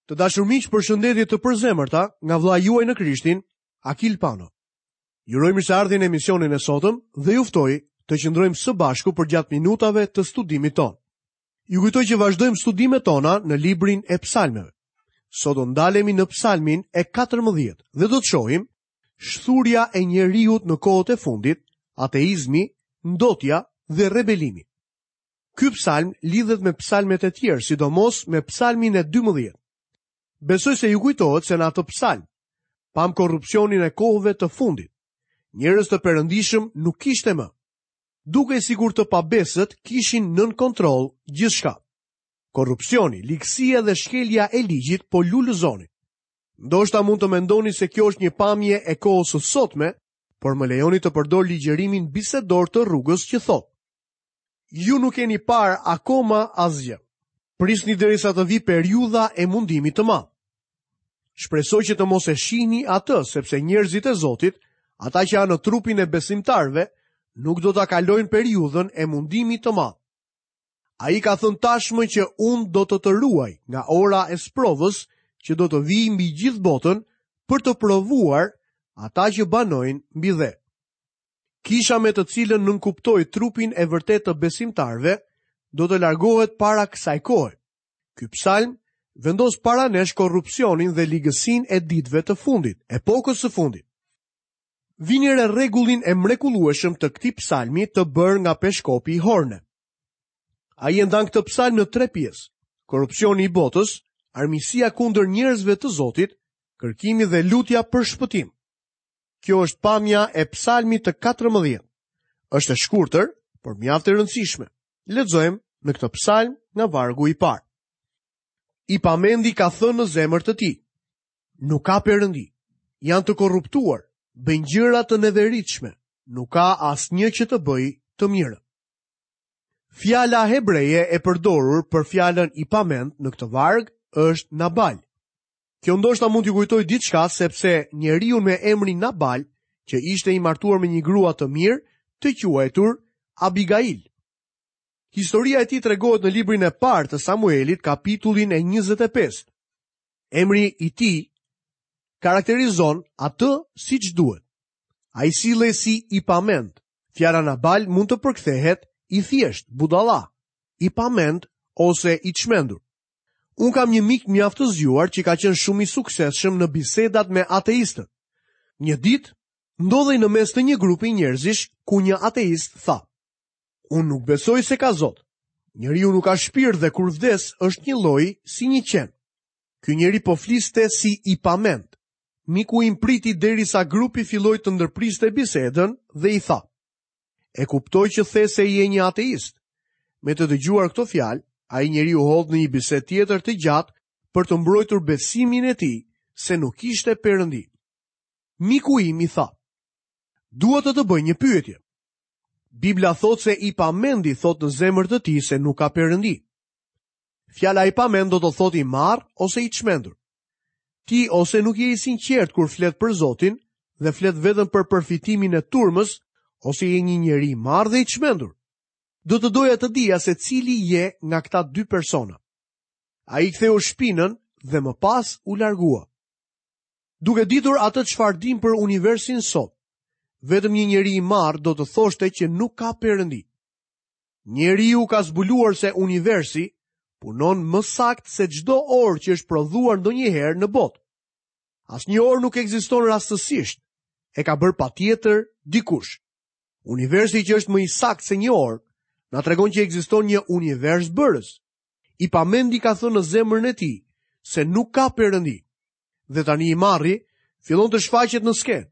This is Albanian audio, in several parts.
Të dashur miq, përshëndetje të përzemërta nga vëllai juaj në Krishtin, Akil Pano. Ju uroj mirëseardhjen në emisionin e sotëm dhe ju ftoj të qëndrojmë së bashku përgjatë minutave të studimit tonë. Ju kujtoj që vazhdojmë studimet tona në librin e psalmeve. Sot do ndalemi në psalmin e 14 dhe do të shohim shthurja e njeriut në kohët e fundit, ateizmi, ndotja dhe rebelimi. Ky psalm lidhet me psalmet e tjerë, sidomos me psalmin e 12. Besoj se ju kujtohet se në atë psalm pamë korrupsionin e kohëve të fundit. Njerëz të perëndishëm nuk kishte më. Dukej sikur të pabesët kishin nën kontroll gjithçka. Korrupsioni, ligësia dhe shkelja e ligjit po lulëzonin. Ndoshta mund të mendoni se kjo është një pamje e kohës së sotme, por më lejoni të përdor ligjërimin bisedor të rrugës që thotë: Ju nuk keni parë akoma asgjë. Prisni derisa të vijë periudha e mundimit të madh. Shpresoj që të mos e shihni atë, sepse njerëzit e Zotit, ata që janë në trupin e besimtarëve, nuk do ta kalojnë periudhën e mundimit të madh. Ai ka thënë tashmë që unë do të të ruaj nga ora e sprovës që do të vijë mbi gjithë botën për të provuar ata që banojnë mbi dhe. Kisha me të cilën nënkuptoj trupin e vërtetë të besimtarëve, do të largohet para kësaj kohe. Ky psalm vendos para nesh korrupsionin dhe ligësinë e ditëve të fundit, epokës së fundit. Vini re rregullin e mrekullueshëm të këtij psalmi të bërë nga peshkopi Horne. Ai e ndan këtë psalm në tre pjesë: korrupsioni i botës, armiqësia kundër njerëzve të Zotit, kërkimi dhe lutja për shpëtim. Kjo është pamja e psalmit të 14. Është e shkurtër, por mjaft e rëndësishme. Lexojmë në këtë psalm nga vargu i parë. I pamendi ka thënë në zemër të tij, nuk ka perëndi, janë të korruptuar, bëjnë gjëra të neveritshme, nuk ka asnjë që të bëjë të mirën. Fjala hebreje e përdorur për fjalën i pamend në këtë varg është Nabal. Kjo ndoshta mund t'ju kujtojë diçka sepse njeriu me emrin Nabal, që ishte i martuar me një grua të mirë, të quajtur Abigail. Historia e tij tregohet në librin e parë të Samuelit, kapitullin e 25. Emri i tij karakterizon atë siç duhet. Ai sillej si i pamend. Fjala Nabal mund të përkthehet i thjeshtë, budalla, i pamend ose i çmendur. Unë kam një mik mjaft të zgjuar që ka qenë shumë i suksesshëm në bisedat me ateistët. Një ditë, ndodhej në mes të një grupi njerëzish ku një ateist tha: Unë nuk besoj se ka Zot. Njeriu nuk ka shpirt dhe kur vdes është njëlloj si një qen. Ky njeri po fliste si i pamend. Miku im priti derisa grupi filloi të ndërpriste bisedën dhe i tha: E kuptoj që the se je një ateist. Me të dëgjuar këto fjalë, ai njeri u hodh në një bisedë tjetër të gjatë për të mbrojtur besimin e tij se nuk kishte perëndi. Miku im i tha: Dua të të bëj një pyetje. Bibla thotë se i pamendi thotë në zemër të tij se nuk ka perëndi. Fjala i pamend do të thotë i marrë ose i çmendur. Ti ose nuk je i sinqertë kur flet për Zotin dhe flet vetëm për përfitimin e turmës, ose je një njeri i marrë dhe i çmendur. Do të doja të dija se cili je nga këta dy persona. Ai ktheu shpinën dhe më pas u largua. Duke ditur atë çfarë dimë për universin sot, vetëm një njeri i marrë do të thoshte që nuk ka perëndi. Njeriu ka zbuluar se universi punon më saktë se çdo orë që është prodhuar ndonjëherë në botë. Asnjë orë nuk ekziston rastësisht, e ka bërë patjetër dikush. Universi që është më i saktë se një orë, na tregon që ekziston një univers bërës. I pamendi ka thënë në zemrën e tij se nuk ka perëndi. Dhe tani i marri fillon të shfaqet në skenë.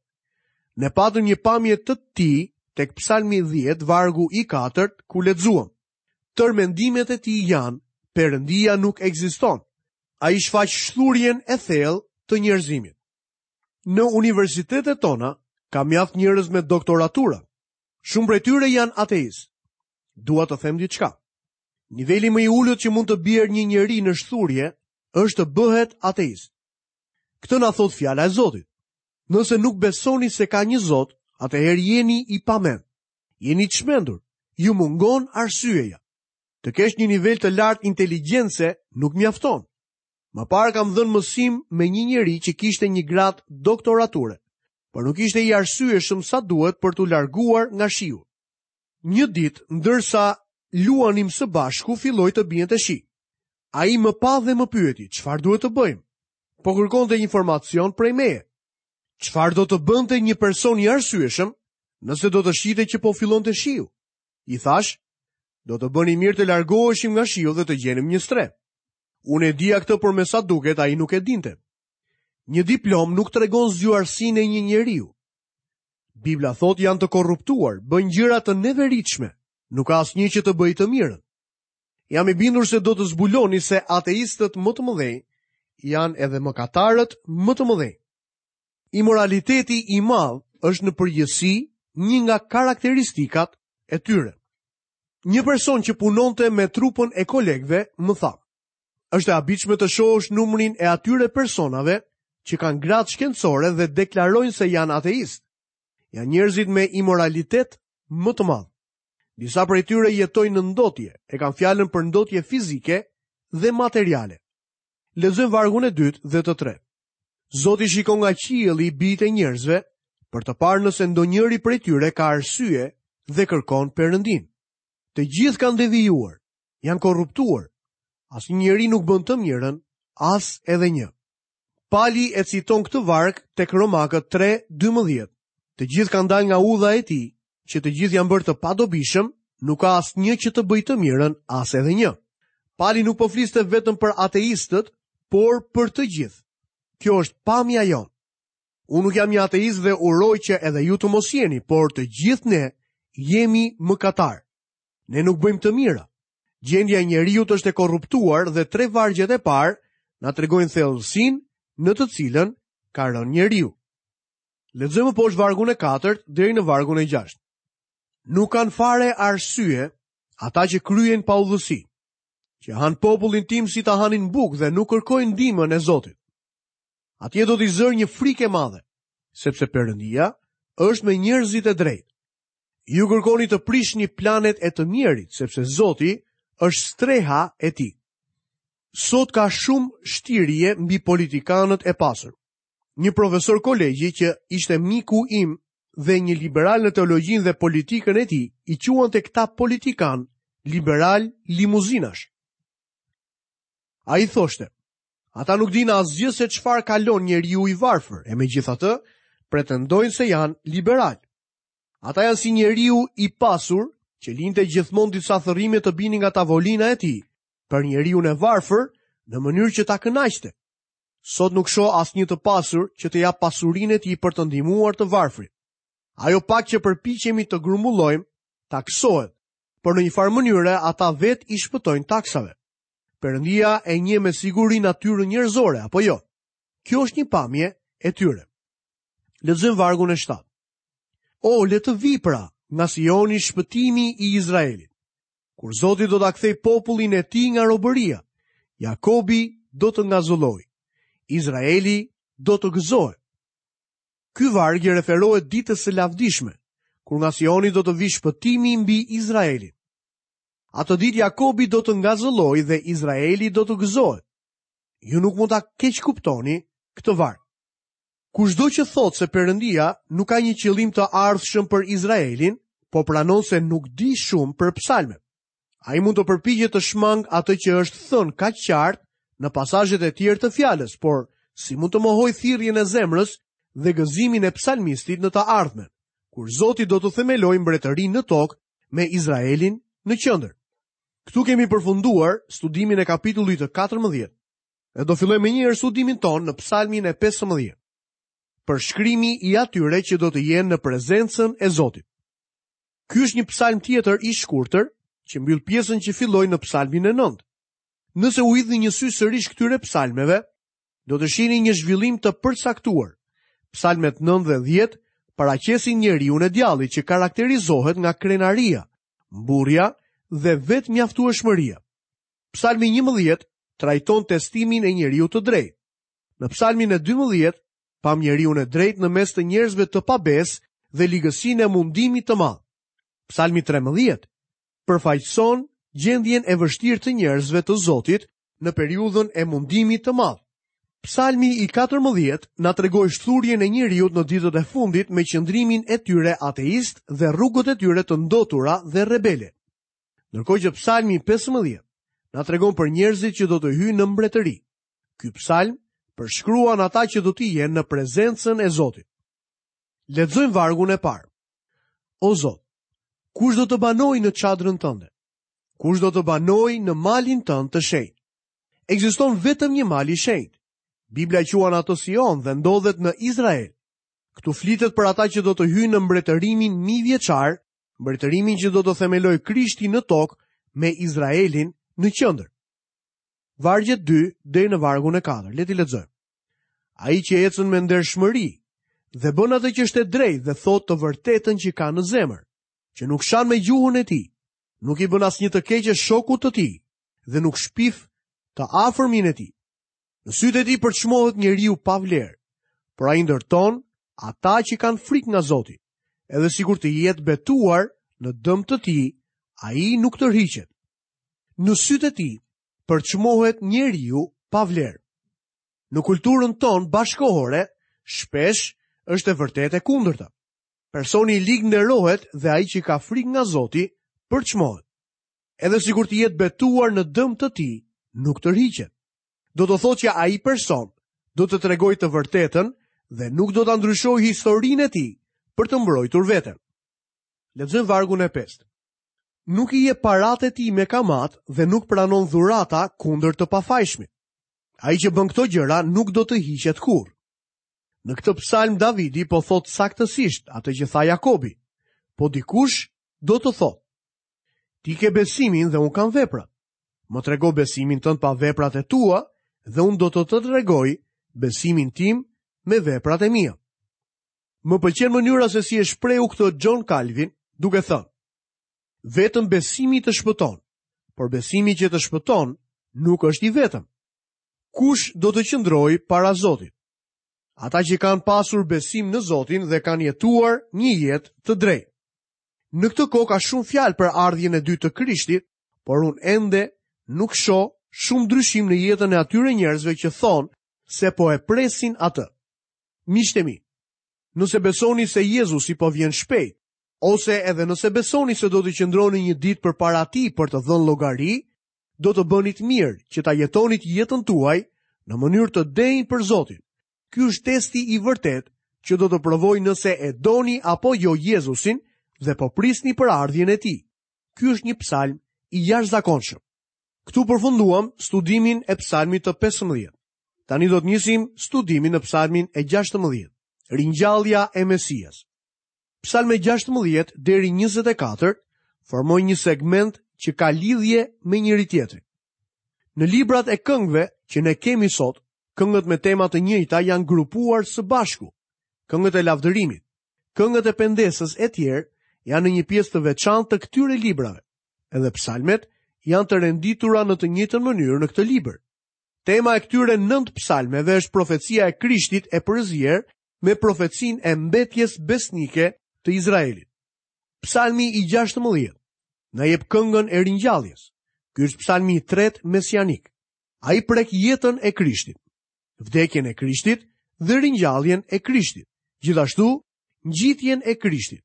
Ne patëm një pamje të tij tek Psalmi 10, vargu i katërt, ku lexuam. Tërë mendimet e tij janë, Perëndia nuk ekziston. Ai shfaq shthurjen e thellë të njerëzimit. Në universitetet tona ka mjaft njerëz me doktoratura. Shumë prej tyre janë ateistë. Dua të them diçka. Niveli më i ulët që mund të bjerë një njeri në shthurje është të bëhet ateist. Këtë na thotë fjala e Zotit. Nëse nuk besoni se ka një Zot, atëherë jeni i pamend. Jeni i çmendur. Ju mungon arsyeja. Të kesh një nivel të lartë inteligjence nuk mjafton. Më parë kam dhënë mësim me një njeri që kishte një gradë doktorature, por nuk ishte i arsyeshëm sa duhet për t'u larguar nga shiu. Një ditë, ndërsa luanim së bashku, filloi të biente shi. Ai më pa dhe më pyeti, çfarë duhet të bëjmë? Po kërkonte informacion prej meje. Çfarë do të bënte një person i arsyeshëm nëse do të shihte që po fillonte shiu? I thashë, do të bënim mirë të largoheshim nga shiu dhe të gjenim një strehë. Unë e dija këtë, por me sa duket ai nuk e dinte. Një diplomë nuk tregon zgjuarsinë e një njeriu. Bibla thotë janë të korruptuar, bëjnë gjëra të neveritshme, nuk ka asnjë që të bëjë të mirën. Jam i bindur se do të zbuloni se ateistët më të mëdhenj janë edhe mëkatarët më të mëdhenj. Imoraliteti i madh është në përgjithësi një nga karakteristikat e tyre. Një person që punonte me trupën e kolegëve më tha: "Është e habitshme të shohësh numrin e atyre personave që kanë gradë shkencore dhe deklarojnë se janë ateistë. Janë njerëzit me imoralitet më të madh. Disa prej tyre jetojnë në ndotje, e kam fjalën për ndotje fizike dhe materiale. Lexojmë vargun e dytë dhe të tretë. Zoti shikon nga qielli bijtë e njerëzve për të parë nëse ndonjëri prej tyre ka arsye dhe kërkon Perëndinë. Të gjithë kanë devijuar, janë korruptuar. Asnjë njeri nuk bën të mirën, as edhe një. Pali e citon këtë varg tek Romakët 3:12. Të gjithë kanë dalë nga udha e tij, që të gjithë janë bërë të padobishëm, nuk ka asnjë që të bëjë të mirën, as edhe një. Pali nuk po fliste vetëm për ateistët, por për të gjithë. Kjo është pamja jonë. Unë nuk jam një ateist dhe uroj që edhe ju të mos jeni, por të gjithë ne jemi mëkatarë. Ne nuk bëjmë të mira. Gjendja e njeriut është e korruptuar dhe tre vargjet e parë na tregojnë thellësinë në të cilën ka rënë njeriu. Lexojmë më poshtë vargun e katërt deri në vargun e gjashtë. Nuk kanë fare arsye ata që kryejnë paudhësi, që hanë popullin tim si ta hanin bukë dhe nuk kërkojnë ndihmën e Zotit. Atje do t'i zërë një frikë e madhe, sepse Perëndia është me njerëzit e drejtë. Ju kërkoni të prishni planet e të mjerit, sepse Zoti është streha e tij. Sot ka shumë shtirje mbi politikanët e pasur. Një profesor kolegji që ishte miku im dhe një liberal në teologjinë dhe politikën e tij, i quante këta politikanë liberalë limuzinash. Ai thoshte, ata nuk dinë asgjë se çfarë kalon njeriu i varfër, e megjithatë, pretendojnë se janë liberalë. Ata janë si njeriu i pasur që linte gjithmonë disa thërrime të binin nga tavolina e tij për njeriun e varfër në mënyrë që ta kënaqte. Sot nuk shoh asnjë të pasur që të japë pasurinë e tij për të ndihmuar të varfrit. Ajo pak që përpiqemi të grumbullojmë, taksohet, por në një farë mënyre ata vetë i shpëtojnë taksave. Perëndia e njeh me siguri natyrën njerëzore, apo jo? Kjo është një pamje e tyre. Lexojmë vargun e 7. O, le të vijë pra, nga Sioni shpëtimi i Izraelit. Kur Zoti do ta kthejë popullin e tij nga robëria, Jakobi do të ngazëllojë, Izraeli do të gëzohet. Ky varg i referohet ditës së lavdishme, kur nga Sioni do të vijë shpëtimi mbi Izraelin. Atë ditë Jakobi do të ngazëllojë dhe Izraeli do të gëzohet. Ju nuk mund ta keqkuptoni këtë varg. Kushdo që thotë se Perëndia nuk ka një qëllim të ardhshëm për Izraelin, po pranon se nuk di shumë për psalmet. Ai mund të përpiqet të shmangë atë që është thënë kaq qartë në pasazhet e tjerë të fjalës, por si mund të mohojë thirrjen e zemrës dhe gëzimin e psalmistit në të ardhmen, kur Zoti do të themelojë mbretërinë në tokë me Izraelin në qendër. Këtu kemi përfunduar studimin e kapitullit të 14. Dhe do fillojmë menjëherë studimin tonë në psalmin e 15. Përshkrimi i atyre që do të jenë në prezencën e Zotit. Ky është një psalm tjetër i shkurtër që mbyll pjesën që filloi në psalmin e 9. Nëse u hidhni një sy sërish këtyre psalmeve, do të shihni një zhvillim të përcaktuar. Psalmet 9 dhe 10 paraqesin njeriun e djallit që karakterizohet nga krenaria, mburrja dhe vetëmjaftueshmëria. Psalmi 11 trajton testimin e njeriut të drejtë. Në psalmin e 12 pamë njeriun e drejtë në mes të njerëzve të pabesë dhe ligësinë e mundimit të madh. Psalmi 13 përfaqëson gjendjen e vështirë të njerëzve të Zotit në periudhën e mundimit të madh. Psalmi i 14 na tregoi shthurjen e njeriut në ditët e fundit me qëndrimin e tyre ateist dhe rrugët e tyre të ndotura dhe rebele. Ndërkohë që Psalmi 15 na tregon për njerëzit që do të hyjnë në mbretëri. Ky psalm përshkruan ata që do të jenë në prezencën e Zotit. Lexojmë vargun e parë. O Zot, kush do të banojë në çadrën tënde? Kush do të banojë në malin tënd të shenjtë? Ekziston vetëm një mal i shenjtë. Bibla e quan atë Sion dhe ndodhet në Izrael. Këtu flitet për ata që do të hyjnë në mbretërimin mijëvjeçar, mbretërimin që do të themelojë Krishti në tokë me Izraelin në qendër. Vargjet 2 deri në vargun e 4. Le t'i lexojmë. Ai që ecën me ndershmëri dhe bën atë që është e drejtë dhe thotë të vërtetën që ka në zemër, që nuk shan me gjuhën e tij, nuk i bën asnjë të keqe shokut të tij dhe nuk shpif të afërmin e tij. Në sytë e tij përçmohet njeriu pa vlerë, por ai ndërton ata që kanë frikë nga Zoti. Edhe sikur të jetë betuar në dëm të tij, ai nuk tërhiqet. Në sytë e tij përçmohet njeriu pa vlerë. Në kulturën tonë bashkëkohore, shpesh është e vërtetë e kundërta. Personi i lig nderohet dhe ai që ka frikë nga Zoti përçmohet. Edhe sikur të jetë betuar në dëm të tij, nuk tërhiqet. Do të thotë që ai person do të tregojë të vërtetën dhe nuk do ta ndryshojë historinë e tij për të mbrojtur veten. Lexojmë vargun e pestë. Nuk i jep paratë e tij me kamatë dhe nuk pranon dhurata kundër të pafajshmit. Ai që bën këto gjëra nuk do të hiqet kurrë. Në këtë psalm Davidi po thotë saktësisht atë që tha Jakobi. Po dikush do të thotë: Ti ke besimin dhe unë kam veprat. Më trego besimin tënd pa veprat e tua dhe unë do të të tregoj besimin tim me veprat e mia. Më pëlqen mënyra se si e shprehu këtë John Calvin, duke thënë: Vetëm besimi të shpëton, por besimi që të shpëton nuk është i vetëm. Kush do të qëndrojë para Zotit? Ata që kanë pasur besim në Zotin dhe kanë jetuar një jetë të drejtë. Në këtë kohë ka shumë fjalë për ardhjen e dytë të Krishtit, por unë ende nuk shoh shumë ndryshim në jetën e atyre njerëzve që thonë se po e presin atë. Miqtë e mi, nëse besoni se Jezusi po vjen shpejt, ose edhe nëse besoni se do të qëndroni një ditë përpara tij për të dhënë llogari, do të bënit mirë që ta jetonit jetën tuaj në mënyrë të denjë për Zotin. Ky është testi i vërtetë që do të provojë nëse e doni apo jo Jezusin dhe po prisni për ardhjen e tij. Ky është një psalm i jashtëzakonshëm. Këtu përfunduam studimin e psalmit të 15. Tani do të nisim studimin në psalmin e 16, Ringjallja e Mesias. Psalmet 16 deri 24 formojnë një segment që ka lidhje me njëri-tjetrin. Në librat e këngëve që ne kemi sot, këngët me tema të njëjta janë grupuar së bashku. Këngët e lavdërimit, këngët e pendesës e tjerë janë në një pjesë të veçantë të këtyre librave. Edhe psalmet janë të renditura në të njëjtën mënyrë në këtë libër. Tema e këtyre 9 psalmeve është profecia e Krishtit e përzier me profecinë e mbetjes besnike të Izraelit. Psalmi i 16 na jep këngën e ringjalljes. Ky është psalmi i tretë mesianik. Ai prek jetën e Krishtit, vdekjen e Krishtit dhe ringjalljen e Krishtit, gjithashtu ngjitjen e Krishtit.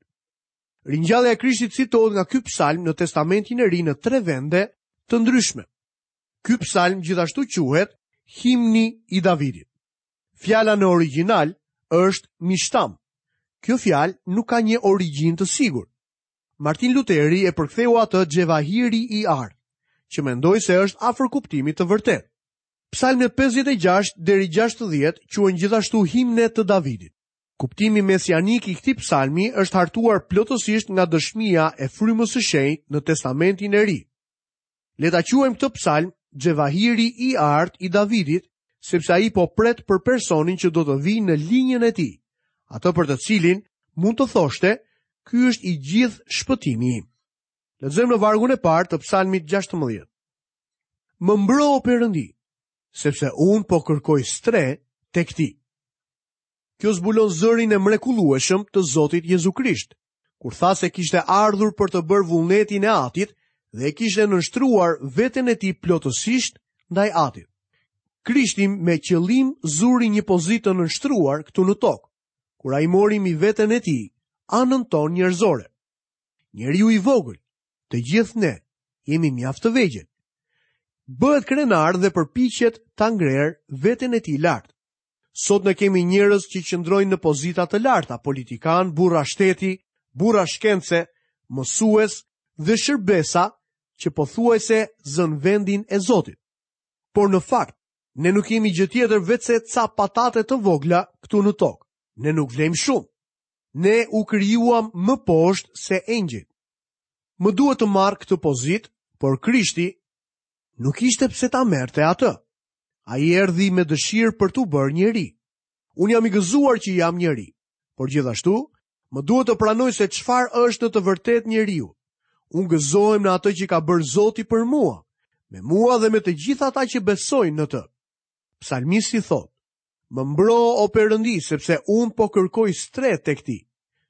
Ringjallja e Krishtit citohet nga ky psalm në Testamentin e Ri në tre vende të ndryshme. Ky psalm gjithashtu quhet Himni i Davidit. Fjala në origjinal është mishtam. Kjo fjalë nuk ka një origjinë të sigurt. Martin Luteri e përktheu atë xhevahiri i artë, që mendoj se është afër kuptimit të vërtetë. Psalmet 56 deri 60 quhen gjithashtu himne të Davidit. Kuptimi mesianik i këtij psalmi është hartuar plotësisht nga dëshmia e Frymës së Shenjtë në Testamentin e Ri. Le ta quajmë këtë psalm Xhevahiri i artë i Davidit, sepse ai po pret për personin që do të vijë në linjën e tij, atë për të cilin mund të thoshte, ky është i gjithë shpëtimi im. Lexojmë në vargun e parë të psalmit 16. Më mbro o Perëndi, sepse unë po kërkoj strehë tek ti. Kjo zbulon zërin e mrekullueshëm të Zotit Jezu Krisht, kur tha se kishte ardhur për të bërë vullnetin e Atit dhe e kishte nënshtruar veten e tij plotësisht ndaj Atit. Krishti me qëllim zuri një pozitë të nënshtruar këtu në tokë, kur ai mori mbi veten e tij anën tonë njerëzore. Njeriu i vogël, të gjithë ne jemi mjaft të vegjël. Bëhet krenar dhe përpiqet ta ngrerë veten e tij lart. Sot ne kemi njerëz që qëndrojnë në pozita të larta, politikanë, burra shteti, burra shkence, mësues dhe shërbesa që pothuajse zënë vendin e Zotit. Por në fakt, ne nuk jemi gjë tjetër veçse ca patate të vogla këtu në tokë. Ne nuk vlejmë shumë. Ne u krijuam më poshtë se engjëjt. Më duhet të marr këtë pozitë, por Krishti nuk kishte pse ta merrte atë. Ai erdhi me dëshirë për t'u bërë njeri. Unë jam i gëzuar që jam njeri, por gjithashtu më duhet të pranoj se çfarë është në të vërtetë njeriu. Unë gëzohem në atë që ka bërë Zoti për mua, me mua dhe me të gjithë ata që besojnë në të. Psalmisti thotë, Më mbro o Perëndi, sepse unë po kërkoj strehë tek ti.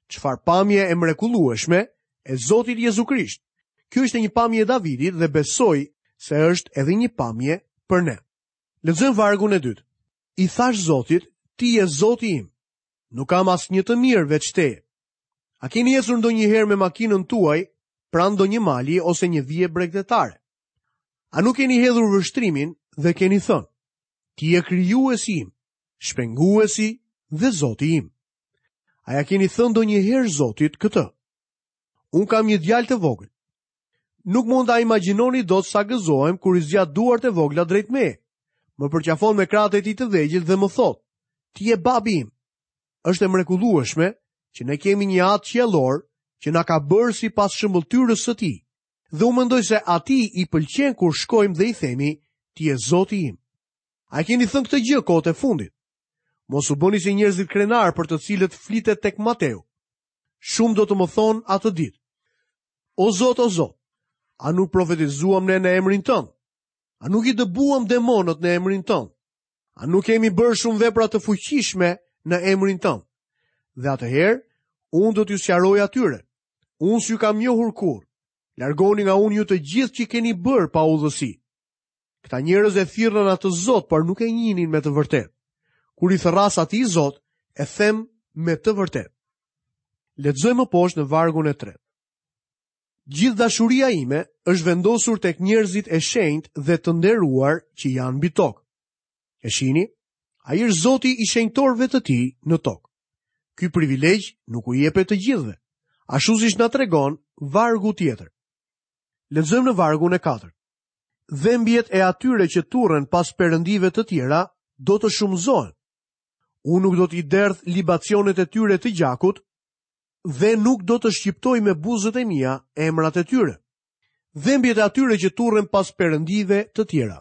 Çfarë pamje e mrekullueshme e Zotit Jezu Krisht. Kjo ishte një pamje e Davidit dhe besoj se është edhe një pamje për ne. Lexojmë vargun e dytë. I thashë Zotit, ti je Zoti im. Nuk kam asnjë të mirë veç teje. A keni ecur ndonjëherë me makinën tuaj pranë ndonjë mali ose një vije bregdetare? A nuk keni hedhur vështrimin dhe keni thënë, Ti je krijuesi im, shpenguesi dhe Zoti im. A ia keni thënë ndonjëherë Zotit këtë? Unë kam një djalë të vogël. Nuk mund ta imagjinoni dot sa gëzohem kur i zgjat duart e vogla drejt meje. Më përqafon me krahët e tij të vegjël dhe më thotë, ti je babi im. Është e mrekullueshme që ne kemi një atë qiellor që na ka bërë sipas shëmbëlltyrës së tij. Dhe unë mendoj se atij i pëlqen kur shkojmë dhe i themi, ti je Zoti im. A e keni thënë këtë gjë kohët e fundit? Mos u bëni si njerëzit krenarë për të cilët flitet tek Mateu. Shumë do të më thonë atë ditë. O Zot, o Zot, a nuk profetizuam ne në emrin tënd? A nuk i dëbuam demonët në emrin tënd? A nuk kemi bërë shumë vepra të fuqishme në emrin tënd? Dhe atëherë, unë do t'ju sqaroj atyre. Unë s'ju kam njohur kurrë. Largohuni nga unë ju të gjithë që keni bërë paudhësi. Këta njerëz e thirrën atë Zot, por nuk e njihnin me të vërtetë. Kur i thërras atij Zot, e them me të vërtetë. Lexojmë më poshtë në vargun e tretë. Gjithë dashuria ime është vendosur tek njerëzit e shenjtë dhe të nderuar që janë mbi tokë. E shihni, ai është Zoti i shenjtorëve të tij në tokë. Ky privilegj nuk u jepet të gjithëve, ashtu siç na tregon vargu tjetër. Lexojmë në vargun e katërt. Dhembjet e atyre që turren pas perëndive të tjera do të shumëzohen. Unë nuk do t'i derdh libacionet e tyre të gjakut dhe nuk do të shqiptoj me buzët e mia emrat e tyre. Dhembjet e atyre që turren pas perëndive të tjera.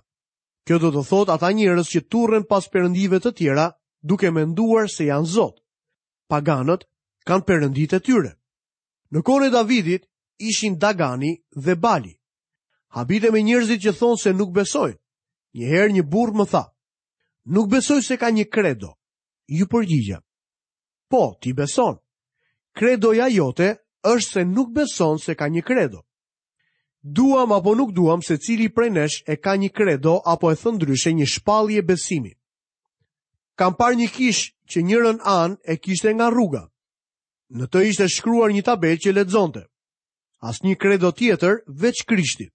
Kjo do të thotë ata njerëz që turren pas perëndive të tjera, duke menduar se janë zot. Paganët kanë perënditë e tyre. Në kohën e Davidit ishin Dagani dhe Bali. Habitem me njerëzit që thonë se nuk besojnë. Një herë një burrë më tha, nuk besoj se ka një kredo. Iu përgjigja. Po, ti beson. Kredoja jote është se nuk beson se ka një kredo. Duam apo nuk duam, secili prej nesh e ka një kredo apo e thënë ndryshe një shpallje besimi. Kam parë një kishë që njërën anë e kishte nga rruga. Në të ishte shkruar një tabelë që lexonte. Asnjë kredo tjetër veç Krishtit.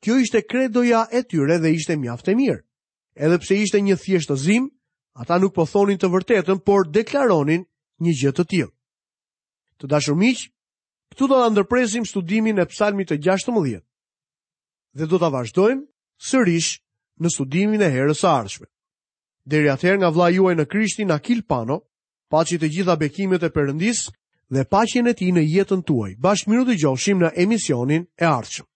Kjo ishte kredoja e tyre dhe ishte mjaft e mirë. Edhe pse ishte një thjeshtëzim, ata nuk po thonin të vërtetën, por deklaronin një gjë të tillë. Të dashur miq, Këtu do ta ndërpresim studimin e Psalmit të 16 dhe do ta vazhdojmë sërish në studimin e herës së ardhshme. Deri atëherë nga vëllai juaj në Krishtin Akil Pano, paçi të gjitha bekimet e Perëndisë dhe paqen e tij në jetën tuaj. Bashkë mirudëgjofshim në emisionin e ardhshëm.